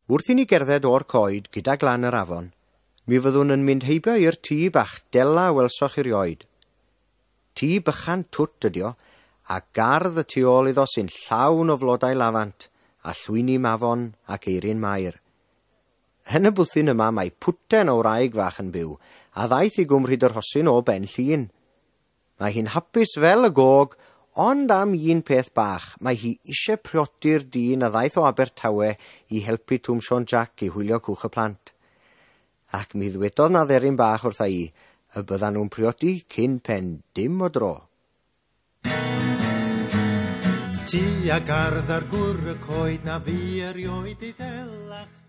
Wrth i ni gerdded o'r coed gyda glan yr afon, mi fyddwn yn mynd heibio i'r tŷ bach dela welsoch erioed. Tŷ bychan twt ydi o, a gardd y tu ôl iddo sy'n llawn o flodau lafant, a llwyni mafon ac eirin Mair. Yn y bwthyn yma mae pwten o wraig fach yn byw, a ddaeth i Gwm Rhyd-yr-rhosyn o Ben Llŷn. Mae hi'n hapus fel y gog, ond am un peth bach, mae hi eisiau priodi'r dyn a ddaeth o Abertawe i helpu Twm Siôn Jac i hwylio cwch y plant. Ac mi ddwedodd 'na dderyn bach wrtha i y byddan nhw'n priodi cyn pen dim o dro. Ti a gardd ar gwr y coed na fu erioed ei ddelach.